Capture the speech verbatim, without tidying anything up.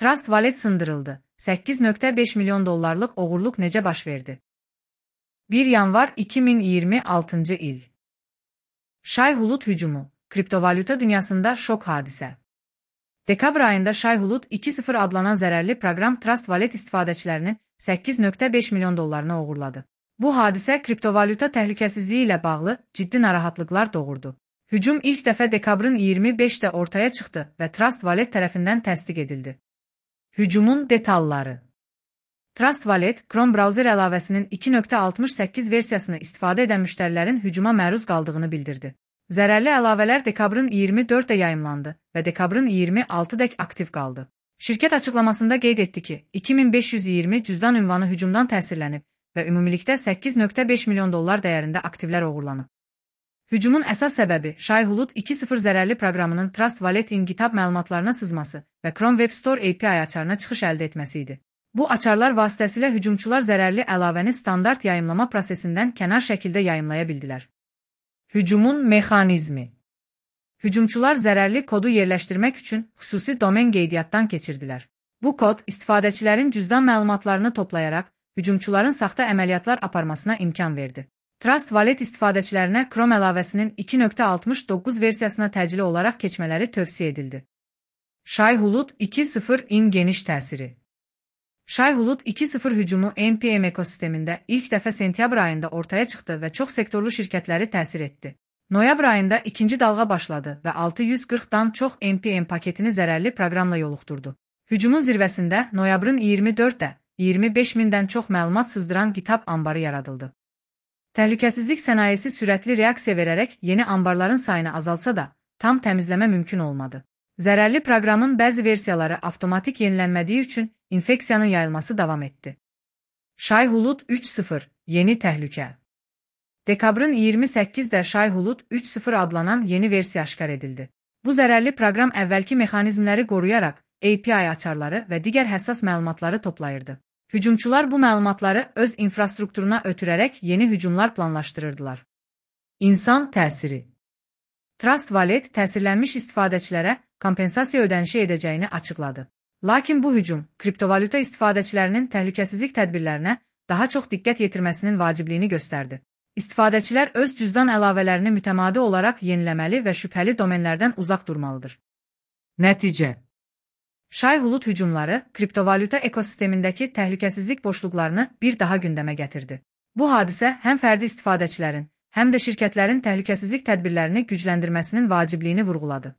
Trust Wallet sındırıldı. səkkiz nöqtə beş milyon dollarlıq oğurluq necə baş verdi? bir yanvar iki min iyirmi altıncı il. Shai-Hulud hücumu. Kriptovalyuta dünyasında şok hadisə. Dekabr ayında Shai-Hulud iki sıfır adlanan zərərli proqram Trust Wallet istifadəçilərinin səkkiz nöqtə beş milyon dollarını oğurladı. Bu hadisə kriptovalyuta təhlükəsizliyi ilə bağlı ciddi narahatlıqlar doğurdu. Hücum ilk dəfə dekabrın iyirmi beşində ortaya çıxdı və Trust Wallet tərəfindən təsdiq edildi. Hücumun detalları. Trust Wallet, Chrome browser əlavəsinin iki nöqtə altmış səkkiz versiyasını istifadə edən müştərilərin hücuma məruz qaldığını bildirdi. Zərərli əlavələr dekabrın iyirmi dördündə yayımlandı və dekabrın iyirmi altıdək aktiv qaldı. Şirkət açıqlamasında qeyd etdi ki, iki min beş yüz iyirmi cüzdan ünvanı hücumdan təsirlənib və ümumilikdə səkkiz nöqtə beş milyon dollar dəyərində aktivlər oğurlanıb. Hücumun əsas səbəbi Shai-Hulud iki sıfır zərərli proqramının Trust Wallet-in GitHub məlumatlarına sızması və Chrome Web Store A P I açarına çıxış əldə etməsi idi. Bu açarlar vasitəsilə hücumçular zərərli əlavəni standart yayımlama prosesindən kənar şəkildə yayımlaya bildilər. Hücumun mexanizmi. Hücumçular zərərli kodu yerləşdirmək üçün xüsusi domen qeydiyyatdan keçirdilər. Bu kod istifadəçilərin cüzdan məlumatlarını toplayaraq hücumçuların saxta əməliyyatlar aparmasına imkan verdi. Trust Wallet istifadəçilərinə Chrome əlavəsinin iki nöqtə altmış doqquz versiyasına təcili olaraq keçmələri tövsiyə edildi. Shai-Hulud iki sıfır-in geniş təsiri. Shai-Hulud iki sıfır hücumu N P M ekosistemində ilk dəfə sentyabr ayında ortaya çıxdı və çox sektorlu şirkətləri təsir etdi. Noyabr ayında ikinci dalğa başladı və altı yüz qırxdan çox N P M paketini zərərli proqramla yoluxdurdu. Hücumun zirvəsində noyabrın iyirmi dördündə iyirmi beş mindən çox məlumat sızdıran GitHub anbarı yaradıldı. Təhlükəsizlik sənayesi sürətli reaksiya verərək yeni anbarların sayını azaltsa da, tam təmizləmə mümkün olmadı. Zərərli proqramın bəzi versiyaları avtomatik yenilənmədiyi üçün infeksiyanın yayılması davam etdi. Shai-Hulud üç sıfır, yeni təhlükə. Dekabrın iyirmi səkkizində Shai-Hulud üç sıfır adlanan yeni versiya aşkar edildi. Bu zərərli proqram əvvəlki mexanizmləri qoruyaraq A P I açarları və digər həssas məlumatları toplayırdı. Hücumçular bu məlumatları öz infrastrukturuna ötürərək yeni hücumlar planlaşdırırdılar. İnsan təsiri. Trust Wallet təsirlənmiş istifadəçilərə kompensasiya ödənişi edəcəyini açıqladı. Lakin bu hücum kriptovalyuta istifadəçilərinin təhlükəsizlik tədbirlərinə daha çox diqqət yetirməsinin vacibliyini göstərdi. İstifadəçilər öz cüzdan əlavələrini mütəmadi olaraq yeniləməli və şübhəli domenlərdən uzaq durmalıdır. Nəticə. Shai-Hulud hücumları kriptovalyuta ekosistemindəki təhlükəsizlik boşluqlarını bir daha gündəmə gətirdi. Bu hadisə həm fərdi istifadəçilərin, həm də şirkətlərin təhlükəsizlik tədbirlərini gücləndirməsinin vacibliyini vurğuladı.